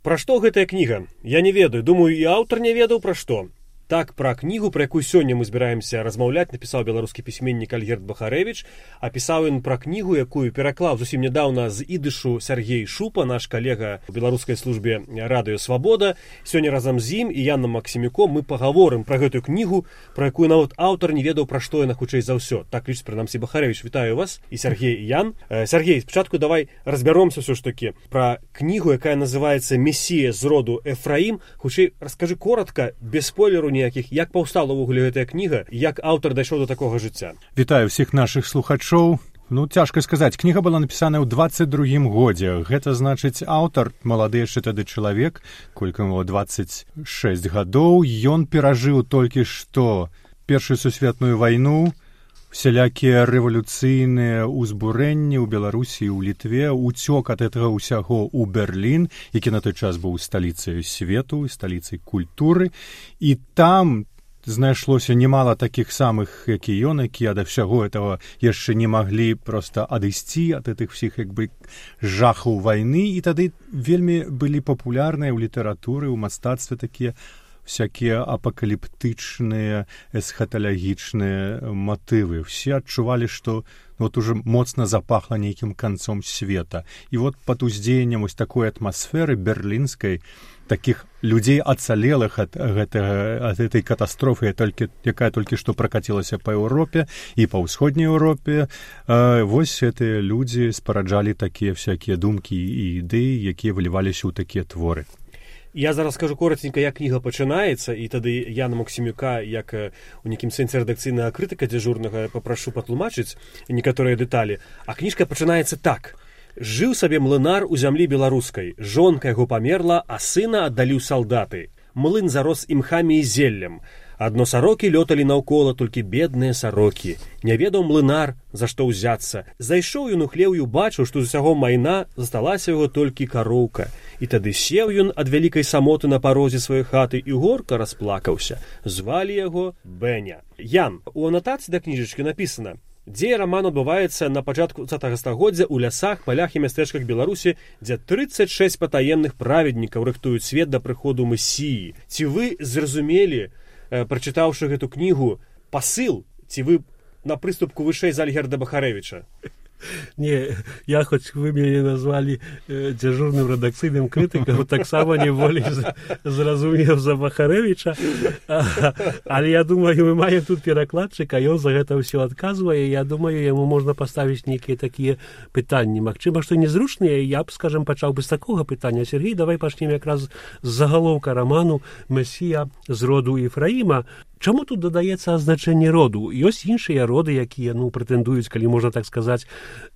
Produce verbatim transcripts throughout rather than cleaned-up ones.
Пра што гэтая кніга? Я не ведаю, думаю, і аўтар не ведаў пра што. Так, пра кнігу, пра якую сёння мы збіраемся размаўляць, напісаў беларускі пісьменнік Альгерд Бахарэвіч. Апісаў ён пра кнігу, якую пераклаў зусім нядаўна з ідышу Сяргей Шупа, наш калега ў беларускай службе Радыё Свабода. Сёння разам з ім і Янам Максімюком мы пагаворым пра гэтую кнігу, пра якую нават аўтар не ведаў, пра што яна хутчэй за ўсё. Так лічыць прынамсі Бахарэвіч. Вітаю вас, і Сяргей, і Ян. Сяргей, спачатку давай разбяромся ўсё ж такі пра кнігу, якая называецца «Месія з роду Эфраім». Хутчэй раскажы коротка, без спойлеру ніякіх, як паўстала ўвогуле гэтая кніга, як аўтар дайшоў до такога жыцця. Вітаю ўсіх нашых слухачоў. Ну, цяжка сказаць, кніга была напісана ў дваццаць другім годзе. Гэта значыць, аўтар, малады яшчэ тады чалавек, колькі яму дваццаць шэсць гадоў, ён перажыў толькі што Першую сусветную вайну, всялякія рэвалюцыйныя ўзбурэнні ў Беларусі, ў Літве, уцёк ад гэтага ўсяго ў Берлін, які на той час быў сталіцай свету, сталіцай культуры, і там знайшлося немало такіх самых, як і ён, якія ад всяго этого яшчэ не маглі проста адысці ад гэтых всіх як бы жахаў вайны, і тады вельмі былі папулярныя ў літаратуры, ў мастацтве такія всякія апакаліптычныя, эсхаталагічныя матывы. Все адчувалі, што вот уже моцна запахла нейкім канцом света. І вот пад уздзеяннем ось такой атмасферы берлінскай, такіх людзей ацалелых ад гэтага, ад гэтай катастрофы, толькі, якая толькі што пракацілася па Еўропе і па ўсходняй Еўропе, э, вось гэтыя людзі спараджалі такія всякія думкі і ідэі, якія выліваліся ў такія творы. Я зараз скажу коротенька, як кніга пачынаецца, і тады Яна Максімюка, як у нейкім сэнсе рэдакцыйнага крытыка дзяжурнага, папрашу патлумачыць некаторыя дэталі. А кніжка пачынаецца так. Жыў сабе млынар у зямлі беларускай. Жонка яго памерла, а сына аддалі ў салдаты. Млын зарос імхамі і зеллем. Адно сарокі лёталі наўкола, толькі бедныя сарокі. Не ведаў млынар, за што ўзяцца. Зайшоў ён у хлеў і убачыў, што з усяго майна засталася яго толькі кароўка. І тады сеў ён ад вялікай самоты на парозе сваёй хаты і горка расплакаўся. Звалі яго Бэня. Ян, у анатацыі да кніжачкі напісана: дзея раман адбываецца на пачатку дваццатага стагоддзя ў лясах, палях і мястэчках Беларусі, дзе трыццаць шэсць патаемных праведнікаў рыхтуюць свет да прыходу Месіі. Ці вы зразумелі, прачытаўшы гэту кнігу, пасыл, ці вы на прыступку вышэй за Альгерда Бахарэвіча? Не, я хоць вы мяне назвалі э, дзяжурным рэдакцыйным крытыкам, таксама не болей зразумеў за Бахарэвіча. А, але я думаю, мы маем тут перакладчыка, ён за гэта ўсё адказвае. Я думаю, яму можна паставіць нейкія такія пытанні. Магчыма, што незручныя, я б, скажам, пачаў бы з такога пытання. Сергей, давай пачнем якраз з загалоўка раману «Месія з роду Ефраіма». Чаму тут дадаецца азначэнне роду? Ёсць іншыя роды, якія, ну, прэтэндуюць, калі можна так сказаць,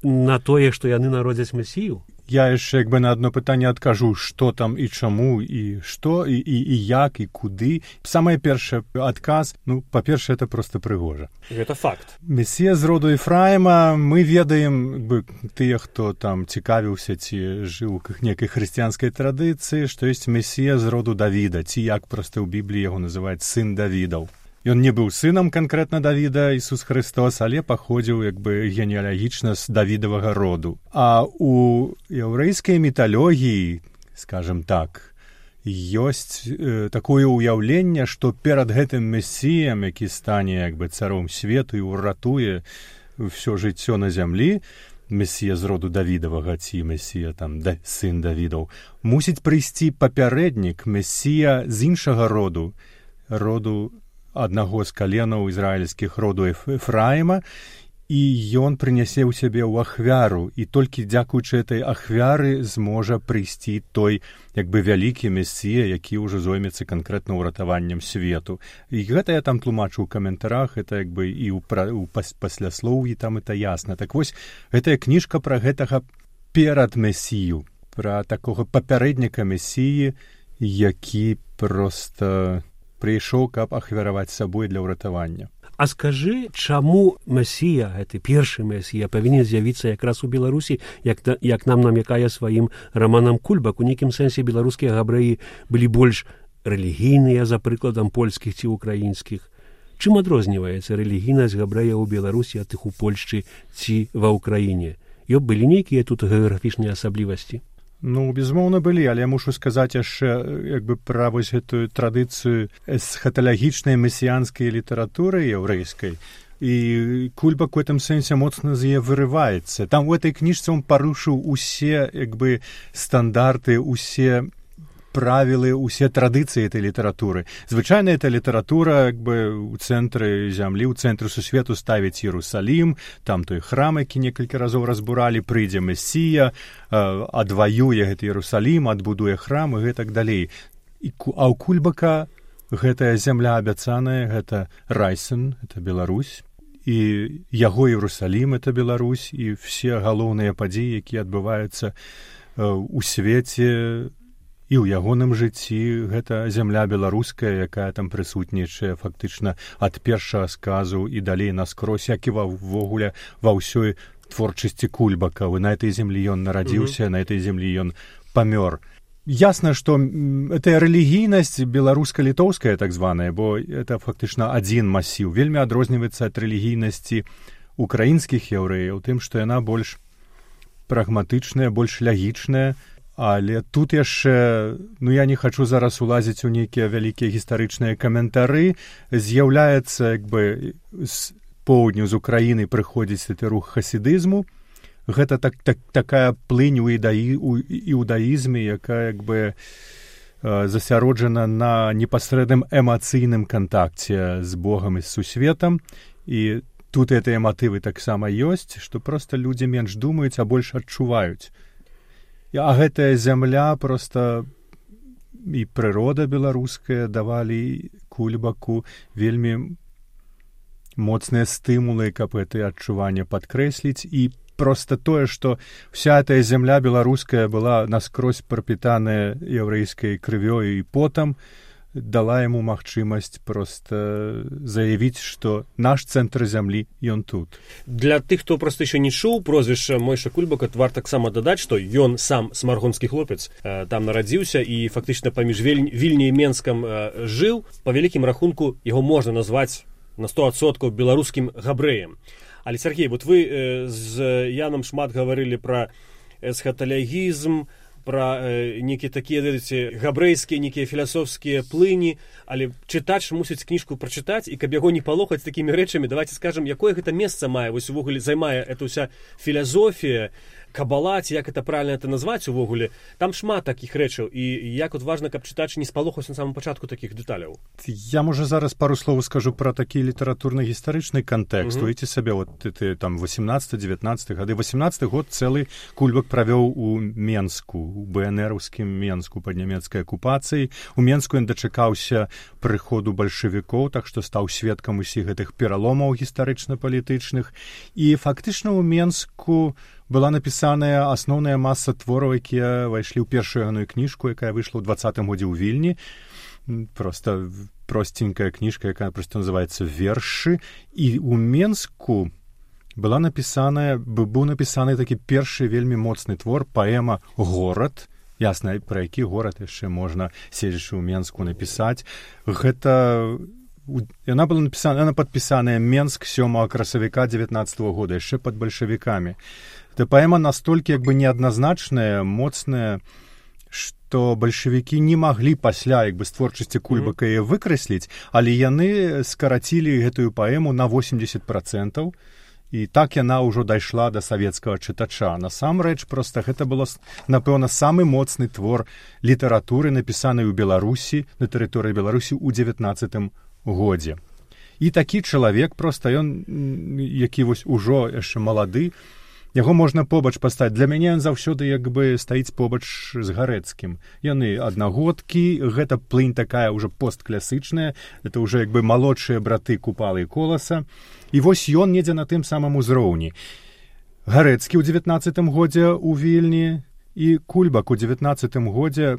на тое, што яны народзяць Месію? Я яшчэ як бы на одно пытанне адкажу, што там і чаму, і што, і, і, і як, і куды. Самае першае адказ, ну, па-першае, это проста прыгожа. Гэта факт. Месія з роду Ефраіма, мы ведаем, бы, тыя, хто там цікавіўся, ці жыў у нейкай хрысціянскай традыцыі, што ёсць Месія з роду Давіда, ці як проста ў Бібліі яго называюць сын Давідаў. Ён не быў сынам канкрэтна Давіда, Ісус Христос, але паходзіў як бы генеалагічна з Давідавага роду. А у яўрэйскай міталогіі, скажем так, ёсць э, такое ўяўленне, што перад гэтым Месіям, які стане як бы царом свету і ўратуе ўсё жыццё на зямлі, Месія з роду Давідавага, ці Месія там да, сын Давідаў, мусіць прыйсці папярэднік, Месія з іншага роду, роду аднаго з каленаў ізраільскіх роду Ефраіма, і ён прынясе ў сябе ў ахвяру, і толькі дзякуючы этой ахвяры зможа прыйсці той як бы вялікі Месія, які ўжо зоймецца канкрэтна ўратаваннем свету. І гэта я там тлумачу ў каментарах, это як бы і ў, пра, ў пас, пасляслоўі там это ясна. Так вось, гэтая кніжка пра гэтага перад Месію, пра такога папярэдніка Месіі, які проста прыйшоў, каб ахвяраваць сабой для ўратавання. А скажы, чаму Месія, гэты першы Месія, павінен з'явіцца якраз у Беларусі, як, як нам намякае сваім раманам Кульбак? У нейкім сэнсе беларускія габрэі былі больш рэлігійныя, за прыкладам польскіх ці украінскіх. Чым адрозніваецца рэлігійнасць габрэяў у Беларусі ад тых у Польшчы ці ва Ўкраіне? Ёб былі нейкія тут геаграфічныя асаблівасці? Ну, безумоўна, былі, але я мушу сказаць яшчэ як бы пра вось гэтую традыцыю эсхаталагічнай месіянскай літаратуры яўрэйскай. І Кульбак у гэтым сэнсе моцна з яе вырываецца. Там у этой кніжцы он парушыў усе як бы стандарты, усе правілы, усе традыцыі этой літаратуры. Звычайна эта літаратура як бы у цэнтры зямлі, у цэнтры сусвету ставіць Іерусалім, там той храм, які некалькі разоў разбуралі, прыйдзе Месія, адваюе гэты Іерусалім, адбудуе храм і гэтак далей. І, а ў Кульбака гэтая зямля абяцаная, гэта Райсэн, это Беларусь, і яго Іерусалім, это Беларусь, і все галоўныя падзеі, якія адбываюцца у свеце, і ў ягоным жыцці гэта зямля беларуская, якая там прысутнічае фактычна ад першага сказу і далей наскрозь, як і ўвогуле ва ўсёй творчасці Кульбака. На этой землі ён нарадзіўся, mm-hmm. на этой землі ён памёр. Ясна, што это рэлігійнасць беларуска-літоўская так званая, бо это фактычна адзін масіў. Вельмі адрозніваецца ад рэлігійнасці украінскіх яўрэяў, тым, што яна больш прагматычная, больш лягічная. Але тут яшчэ, ну я не хачу зараз улазіць у нейкія вялікія гістарычныя каментары, з'яўляецца як бы з поўдню з Украіны прыходзіць гэты рух хасідызму. Гэта так, так, такая плынь у, ідаі, у іудаізме, якая як бы засяроджана на непасрэдным эмацыйным кантакце з Богам і з сусветам. І тут гэтыя матывы таксама ёсць, што проста людзі менш думаюць, а больш адчуваюць. А гэтая зямля проста і прырода беларуская давалі Кульбаку вельмі моцныя стымулы, каб гэтыя адчуванне падкрэсліць. І проста тое, што вся эта зямля беларуская была наскрозь прапітаная яўрэйскай крывёю і потам, дала яму магчымасць проста заявіць, што наш цэнтр зямлі, ён тут. Для тых, хто проста яшчэ не чуў прозвішча Мойша Кульбака, варта таксама дадаць, што ён сам смаргонскі хлопец, там нарадзіўся і фактычна паміж Вільняй і Менскам жыў. Па вялікім рахунку яго можна назваць на сто адсоткаў беларускім габрэем. Але, Сергей, вот вы з Янам шмат гаварылі пра эсхаталягізм, пра э, нейкія такія, ведаеце, габрэйскія, нейкія філасофскія плыні, але чытач мусіць кніжку прачытаць, і каб яго не палохаць такімі рэчамі, давайте скажам, якое гэта месца мае, вось увогуле займае эта ўся філазофія, кабала, ці як это правильно это назваць увогуле. Там шмат такіх рэчаў, і як от важна, каб чытач не спалохаўся на самом пачатку такіх дэталяў. Я, можа, зараз пару слоў скажу пра такі літаратурна-гістарычны кантэкст. Уявіце mm-hmm. сабе, вот ты там восемнадцаты-девятнадцаты гады. восемнадцаты год цэлы Кульбак правёў у Менску, у БНРаўскім Менску пад нямецкай акупацыяй. У Менску ён дачакаўся прыходу бальшавікоў, так што стаў сведкам усіх гэтых пераломаў гістарычна-палітычных. І фактычна ў Менску была напісаная асноўная маса твораў, якія ўвайшлі ў першую ягоную кніжку, якая выйшла ў двадцатым годзе ў Вільні. Проста простенькая кніжка, якая проста называецца «Вершы». І ў Менску была напісаная, быў напісаны такі першы вельмі моцны твор, паэма «Горад». Ясна, пра які горад яшчэ можна, седзячы ў Менску, напісаць. Гэта... Яна была напісана, яна падпісаная Менск сёмага красавіка дзевятнаццатага года, яшчэ пад бальшавікамі. Эта паэма настолькі як бы неадназначная, моцная, што бальшавікі не маглі пасля як бы з творчасці Кульбака яе выкрэсліць, але яны скарацілі гэтую паэму на восемьдесят процентаў, і так яна ўжо дайшла да савецкага чытача. Насамрэч, проста гэта было, напэўна, самы моцны твор літаратуры, напісаны ў Беларусі, на тэрыторыі Беларусі ў дзевятнаццатым годзе. І такі чалавек, проста ён, які вось ужо яшчэ малады, яго можна побач паставіць. Для мяне ён заўсёды як бы стаіць побач з Гарэцкім. Яны аднагодкі, гэта плынь такая ўжо постклясычная, это ўжо як бы малодшыя браты Купалы і Коласа. І вось ён недзе на тым самым узроўні. Гарэцкі ў дзевятнаццатым годзе ў Вільні і Кульбак у дзевятнаццатым годзе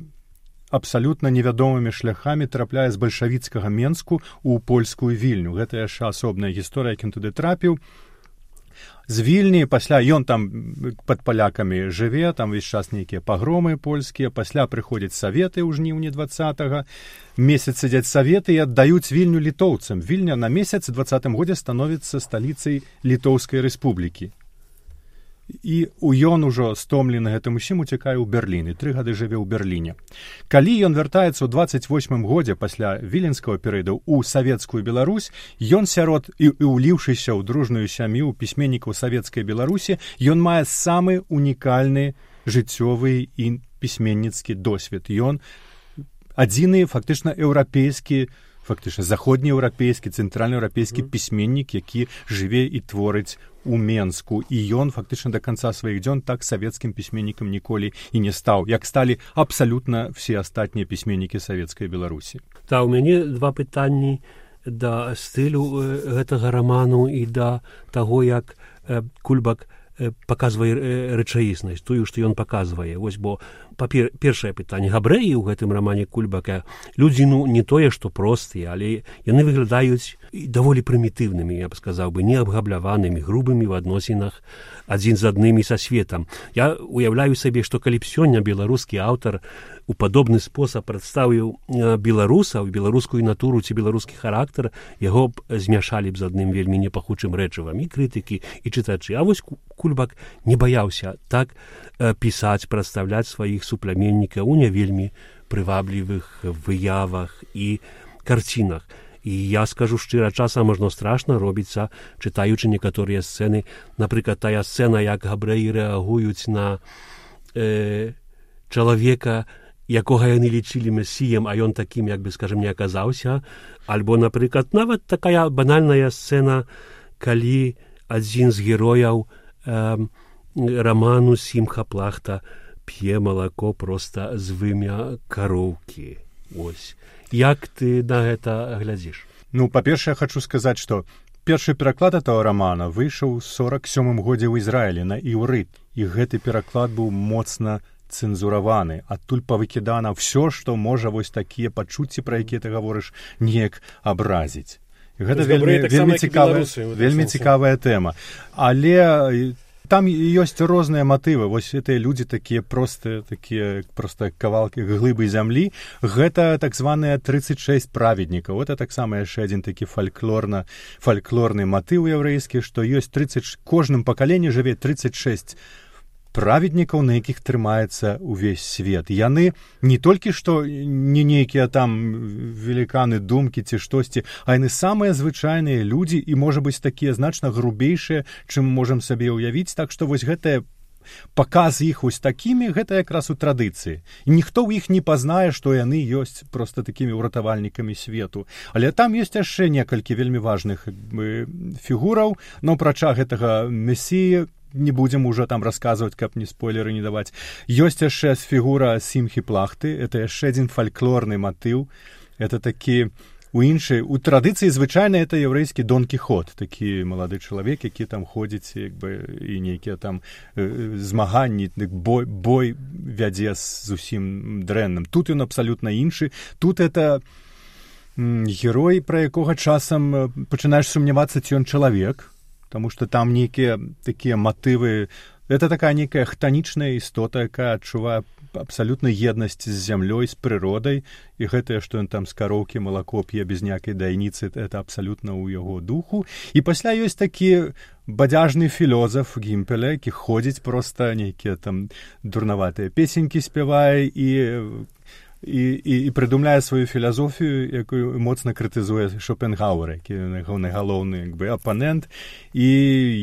абсалютна невядомымі шляхамі трапляе з бальшавіцкага Менску ў польскую Вільню. Гэта яшчэ асобная гісторыя, як ён туды трапіў. З Вільні, пасля ён там пад палякамі жыве, там весь час нейкія пагромы польскія, пасля прыходзяць саветы ў жніўні двадцатага, месяц сядзяць саветы і аддаюць Вільню літоўцам. Вільня на месяц у двадцатым годзе становіцца сталіцай Літоўскай рэспублікі. і ён ужо стомлены гэтым усім уцякае ў Берлін і тры гады жыве ў Берліне. Калі ён вяртаецца ў дваццаць восьмым годзе пасля віленскага перыяду ў савецкую Беларусь, ён сярод і, і уліўшыся ў дружную сям'ю пісьменнікаў савецкай Беларусі, ён мае самы унікальны жыццёвы і пісьменніцкі досвед. Ён адзіны фактычна еўрапейскі, фактычна заходнееўрапейскі, цэнтральнаеўрапейскі пісьменнік, які жыве і творыць у Менску. І ён фактычна да канца сваіх дзён так савецкім пісьменнікам ніколі і не стаў, як сталі абсалютна все астатнія пісьменнікі савецкай Беларусі. Та, у мяне два пытанні да стылю гэтага раману і да таго, як Кульбак паказвае рэчаіснасць, тую, што ён паказвае. Вось, бо папер, першае пытанне. Габрэі ў гэтым рамане Кульбака людзі, ну, не тое, што простыя, але яны выглядаюць даволі прымітыўнымі, я б сказаў бы, неабгабляванымі, грубымі ў адносінах адзін з адным і са светам. Я уяўляю сабе, што калі б сёння беларускі аўтар у падобны спосаб прадставіў беларусаў, беларускую натуру ці беларускі характар, яго б змяшалі б з адным вельмі непахучым рэчывам і крытыкі, і чытачы. А вось Кульбак не баяўся так пісаць, прадстаўляць сваіх супляменнікаў у не вельмі прываблівых выявах і карцінах. І я скажу шчыра, часам можна страшна робіцца, чытаючы некаторыя сцэны. Напрыклад, тая сцэна, як габрэі рэагуюць на э, чалавека, якога яны лічылі месіем, а ён такім, як бы, скажем, не аказаўся. Альбо, напрыклад, нават такая банальная сцэна, калі адзін з герояў э, раману Сімха Плахта п'е малако проста з вымя кароўкі. Ось. Як ты на гэта глядзіш? Ну, па-першае, хачу сказаць, што першы пераклад этого рамана выйшаў у сорак сёмым годзе ў Ізраілі на іўрыт, і гэты пераклад быў моцна цэнзураваны. Адтуль павыкідана ўсё, што можа вось такія пачуцці, пра якія ты гаворыш, неяк абразіць. І гэта вельмі, вельмі, цікавая, вельмі цікавая тэма. Але там ёсць розныя матывы. Вось гэтыя людзі такія простыя, такія проста кавалкі глыбы зямлі. Гэта так званыя тридцать шесть праведнікаў. Это таксама яшчэ адзін такі фальклорна, фальклорны матыў яўрэйскі, што ёсць тридцать, кожным пакаленні жыве тридцать шесть праведнікаў, на якіх трымаецца ўвесь свет. Яны не толькі што не нейкія там веліканы думкі ці штосьці, а яны самыя звычайныя людзі і, можа быць, такія значна грубейшыя, чым можам сабе ўявіць. Так што вось гэтае паказ іх вось такімі, гэта якраз у традыцыі. І ніхто ў іх не пазнае, што яны ёсць проста такімі ўратавальнікамі свету. Але там ёсць яшчэ некалькі вельмі важных фігураў, но прача гэтага месіі не будзем ужо там расказваць, каб не спойлеры не даваць. Ёсць яшчэ фігура Сімхі Плахты, это яшчэ адзін фальклорны матыў. Это такі у іншай, у традыцыі звычайна это яўрэйскі Дон Кіхот, такі малады чалавек, які там ходзіць, як бы, і нейкія там э, змаганні, бой, бой вядзе з зусім дрэнным. Тут ён абсалютна іншы. Тут это м, герой, пра якога часам пачынаеш сумнявацца, ці ён чалавек, таму што там нейкія такія матывы. Это такая нейкая хтанічная істота, якая адчувае абсалютна еднасць з зямлёй, з прыродай, і гэтае, што ён там з кароўкі малако п'е без ніякай дайніцы, это абсалютна ў яго духу. І пасля ёсць такі бадзяжны філозаф Гімпеля, які ходзіць проста нейкія там дурнаватыя песенькі спявае і І, і, і прыдумляе сваю філазофію, якую моцна крытызуе Шопенгауэр, які ягоны галоўны, як бы, апанент. І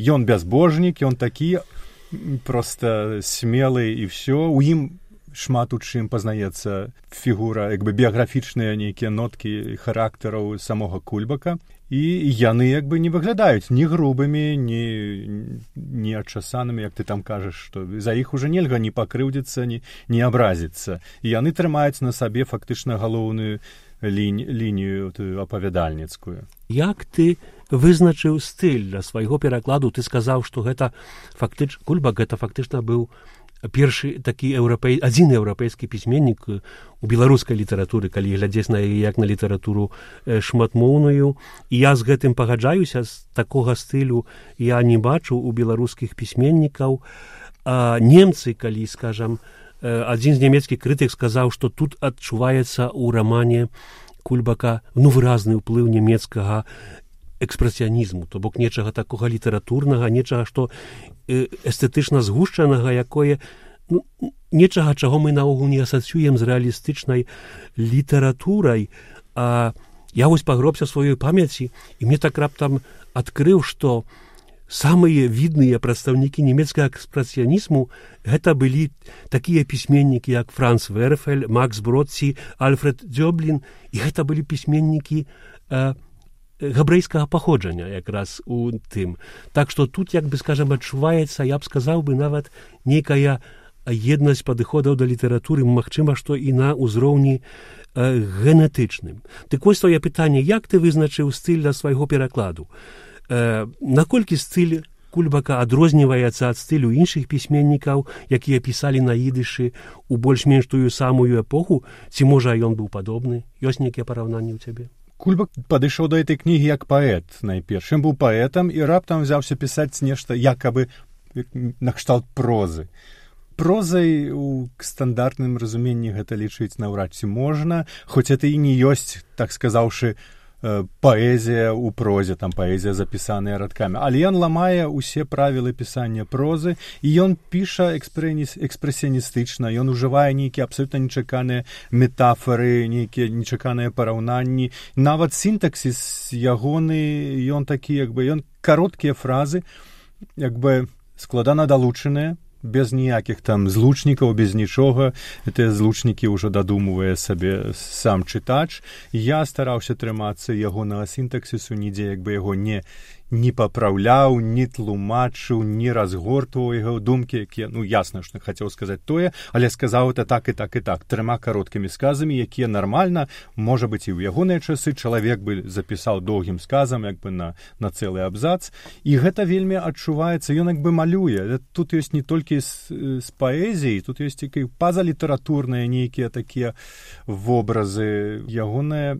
ён бязбожнік, ён такі проста смелы і ўсё. У ім шмат у чым пазнаецца фігура, як бы, біяграфічныя нейкія ноткі характараў самога Кульбака. І яны, як бы, не выглядаюць ні грубымі, ні, ні адчасанымі, як ты там кажаш, што за іх уже нельга ні пакрыўдзіцца, ні, ні абразіцца. І яны трымаюць на сабе фактычна галоўную лінь, лінію апавядальніцкую. Як ты вызначыў стыль для свайго перакладу? Ты сказаў, што гэта фактыч... Кульбак гэта фактычна быў першы такі еўрапей... адзін еўрапейскі пісьменнік у беларускай літаратуры, калі глядзець на яе як на літаратуру шматмоўную. І я з гэтым пагаджаюся, з такога стылю я не бачу у беларускіх пісьменнікаў. А немцы, калі, скажам, адзін з нямецкіх крытык сказаў, што тут адчуваецца ў рамане Кульбака, ну, выразны ўплыў нямецкага экспрэсіянізму, то бок нечага такога літаратурнага, нечага, што эстэтычна згушчанага, якое ну, нечага, чаго мы наогул не асацыюем з рэалістычнай літаратурай. А я вось пагробся сваёй памяці, і мне так раптам адкрыў, што самыя відныя прадстаўнікі нямецкага экспрэсіянізму гэта былі такія пісьменнікі, як Франц Верфель, Макс Бродці, Альфред Дзёблін, і гэта былі пісьменнікі э, габрэйскага паходжання якраз у тым. Так што тут, як бы, скажам, адчуваецца, я б сказаў бы, нават нейкая еднасць падыходаў да літаратуры, магчыма, што і на ўзроўні э, генетычным. Дык вось тое пытанне, як ты вызначыў стыль для свайго перакладу? Э, наколькі стыль Кульбака адрозніваецца ад стылю іншых пісьменнікаў, якія пісалі на ідышы ў больш-менш тую самую эпоху, ці можа ён быў падобны? Ёсць нейкія параўнанні ў цябе? Кульбак падышоў да гэтай кнігі як паэт найперш. Ён быў паэтам і раптам взяўся пісаць нешта якабы накшталт прозы. Прозай у стандартным разуменні гэта лічыць наўрад ці можна, хоць это і не ёсць, так сказаўшы, паэзія ў прозе, там паэзія запісаная радкамі. Але ён ламае ўсе правілы пісання прозы, і ён піша экспрэсіяністычна, ён ужывае нейкія абсалютна нечаканыя метафоры, нейкія нечаканыя параўнанні. Нават сінтаксіс ягоны, ён такі, як бы, ён кароткія фразы, як бы складана далучаныя, без ніякіх там злучнікаў, без нічога. Гэтыя злучнікі ўжо дадумвае сабе сам чытач. Я стараўся трымацца ягонага сінтаксісу, нідзе як бы яго не, не папраўляў, не тлумачыў, не разгортваў яго думкі, якія, ну, ясна, што хацеў сказаць тое, але сказаў это так і так і так, трыма кароткімі сказамі, якія нармальна, можа быць, і ў ягоныя часы чалавек бы запісаў доўгім сказам, як бы на, на цэлы абзац, і гэта вельмі адчуваецца, ён як бы малюе. Тут ёсць не толькі з, з паэзіі, тут ёсць і пазалітаратурныя нейкія такія вобразы. Ягоная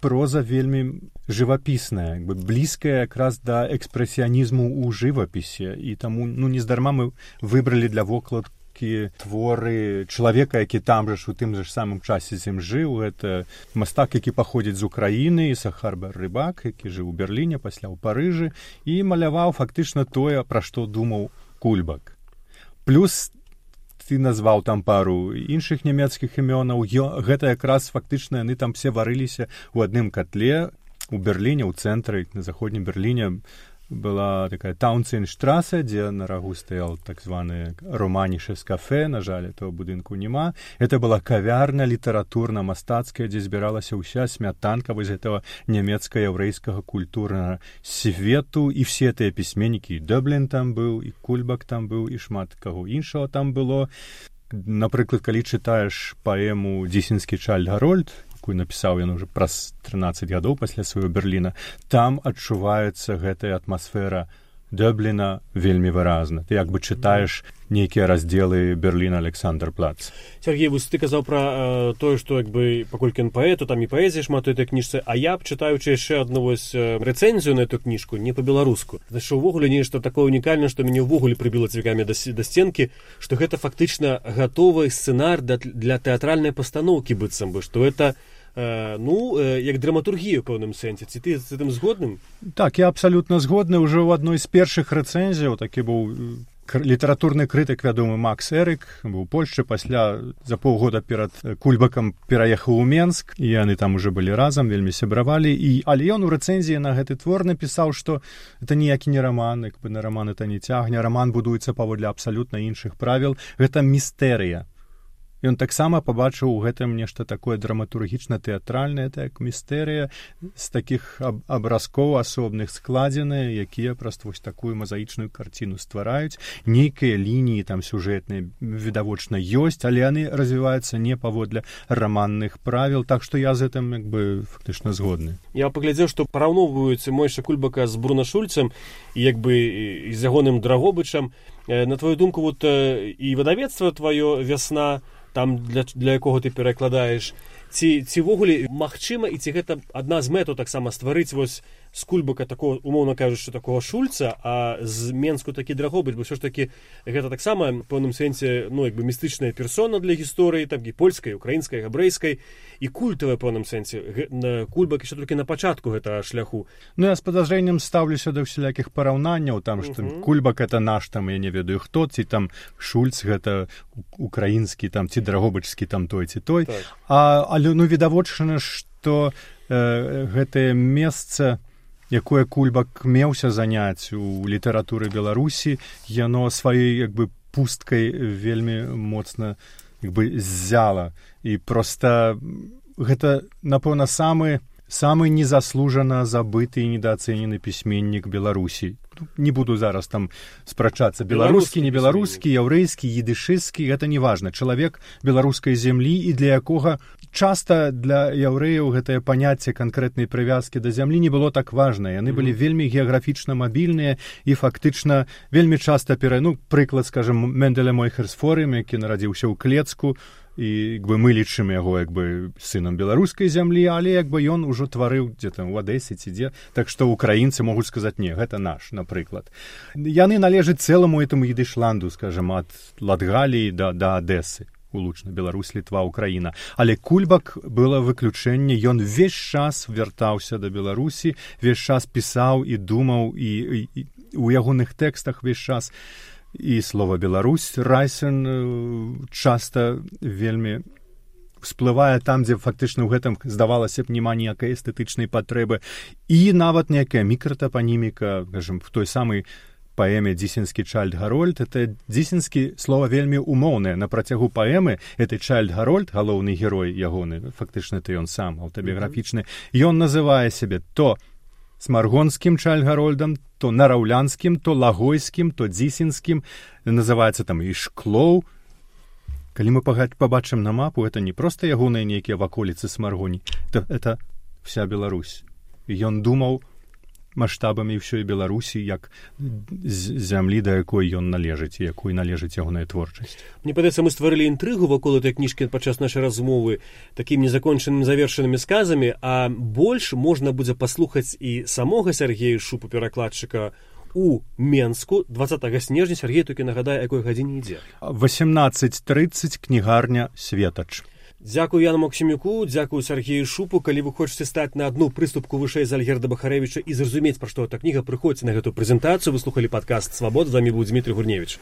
проза вельмі жывапісная, як бы блізкая якраз да экспрэсіянізму ў жывапісе, і таму, ну, нездарма мы выбралі для вокладкі творы чалавека, які там жа ж у тым же ж самым часе з ім жыў. Гэта мастак, які паходзіць з Украіны, Ісахар Бар-Рыбак, які жыў у Берліне, пасля ў Парыжы, і маляваў фактычна тое, пра што думаў Кульбак. Плюс ты назваў там пару іншых нямецкіх імёнаў. Гэта якраз фактычна яны там все варыліся ў адным котле у Берліне, ў цэнтры, на заходнім Берліне была такая Таунценштраса, дзе на рагу стаял так званы романішес кафе, на жаль, этого будынку няма. Это была кавярня літаратурна-мастацкая, дзе збіралася ўся смятанка вось гэтага нямецка-яўрэйскага культурнага свету, і все тыя пісьменнікі, і Дёблін там быў, і Кульбак там быў, і шмат каго іншага там было. Напрыклад, калі чытаеш паэму «Дзісінскі Чайльд Гарольд», якую напісаў ён уже праз трынаццаць гадоў пасля свайго Берліна, там адчуваецца гэтая атмасфера Дёбліна вельмі выразна. Ты як бы чытаеш нейкія раздзелы Берліна Александр-Плац. Сергей, вось ты казаў пра э, тое, што як бы паколькі ён паэт, то там і паэзія шмат у этой кніжцы, а я б чытаючы яшчэ адну вось рэцэнзію на эту кніжку, не па-беларуску. Значит, увогуле нешта такое унікальнае, што мяне ўвогуле прыбіла цвікамі да, да сценкі, што гэта фактычна гатовы сцэнар для, для тэатральнай пастаноўкі быццам бы, што это Э, ну, э, як драматургія ў пэўным сэнсе. Ці ты з гэтым згодным? Так, я абсалютна згодны. Ужо ў адной з першых рэцэнзіяў такі быў літаратурны крытык, вядомы Макс Эрык, быў у Польшчы, пасля за паўгода перад Кульбакам пераехаў у Менск, і яны там уже былі разам, вельмі сябравалі. І, але ён у рэцэнзіі на гэты твор напісаў, што это ніякі не раман, як бы на раман это не цягне, раман будуецца паводле абсалютна іншых правіл. Гэта містэрыя. Ён таксама пабачыў у гэтым нешта такое драматургічна-тэатральнае, так, містэрыя з такіх аб абразкоў асобных складзеныя, якія проста вось такую мазаічную карціну ствараюць. Нейкія лініі там сюжэтныя відавочна ёсць, але яны развіваюцца не паводле раманных правіл, так што я з гэтым як бы фактычна згодны. Я паглядзеў, што параўноўваюць Мойша Кульбака з Бруно Шульцам і як бы і з ягоным Драгобычам. На твою думку, вот і выдавецтва тваё «Вясна», там для, для якого ты перакладаеш, ці, ці вогуле магчыма, і ці гэта адна з мэтаў таксама стварыць вось з Кульбака такого, умоўна кажучы, такого Шульца, а з Менску такі Драгобыч, бо ўсё ж такі гэта таксама в пэўным сэнсе, ну, як бы містычная персона для гісторыі, там і польскай, украінскай, габрэйскай, і культавая в пэўным сэнсе. Кульбак яшчэ толькі на пачатку гэтага шляху. Ну, я з падазрэннем стаўлюся да ўсялякіх параўнанняў, там, што uh-huh. Кульбак это наш, там, я не ведаю хто, ці там Шульц гэта украінскі, там, ці Драгобычскі, там, той, ці той. Так. А, але, ну, відавочна, што э, гэтае месца, якое Кульбак меўся заняць у літаратуры Беларусі, яно сваёй, як бы, пусткай вельмі моцна, як бы, ззяла. І проста гэта, напэўна, самы, самы незаслужана забыты і недаацэнены пісьменнік Беларусі. Не буду зараз там спрачацца, беларускі, не беларускі, яўрэйскі, едышысцкі, гэта не важна. Чалавек беларускай зямлі, і для якога часта для яўрэяў гэтае паняцце канкрэтнай прывязкі да зямлі не было так важна. Яны былі вельмі геаграфічна мабільныя і фактычна вельмі часта пера... Ну, прыклад, скажем, Менделя Мойхерсфорым, які нарадзіўся ў Клецку, і як бы, мы лічым яго як бы сынам беларускай зямлі, але як бы ён ужо тварыў дзе там у Адэсе ці дзе, так што украінцы могуць сказаць, не, гэта наш, напрыклад. Яны належаць цэламу этому едышланду, скажем, ад Латгаліі да, да Адэсы, улучна Беларусь, Літва, Украіна. Але Кульбак было выключэнне, ён весь час вяртаўся да Беларусі, весь час пісаў і думаў, і, і, і у ягоных тэкстах весь час і слова Беларусь, Райсен часта вельмі всплывае там, дзе фактычна ў гэтым, здавалася б, няма ніякай эстэтычнай патрэбы. І нават некая мікратапаніміка, скажем, в той самай паэме «Дзісінскі Чайльд-Гарольд», это дзісінскі слова вельмі умоўнае. На працягу паэмы гэты Чайльд-Гарольд, галоўны герой ягоны, фактычна это ён сам, аўтабіяграфічны, ён называе сябе то смаргонскім Чайльд-Гарольдам, то нараўлянскім, то лагойскім, то дзісінскім, называецца там і Шклоў. Калі мы пабачым на мапу, это не проста ягоныя нейкія ваколіцы Смаргоні, это, это вся Беларусь. Ён думаў маштабамі ўсёй Беларусі, як зямлі, да якой ён належыць, і якой належыць ягоная творчасць. Мне падаецца, мы стварылі інтрыгу вакол этой кніжкі падчас нашай размовы такімі незакончанымі завершанымі сказамі, а больш можна будзе паслухаць і самога Сяргея Шупу, перакладчыка, у Менску дваццатага снежня. Сяргей толькі нагадае, якой гадзіне ідзе. восемнадцать тридцать, кнігарня «Светач». Дзякую Яну Максімюку, дзякую Сяргею Шупу. Калі вы хочаце стаць на адну прыступку вышэй за Альгерда Бахарэвіча і зразумець, пра што эта кніга, прыходзьце на гэту прэзентацыю. Вы слухалі падкаст «Свабода». З вамі быў Дмітрий Гурневіч.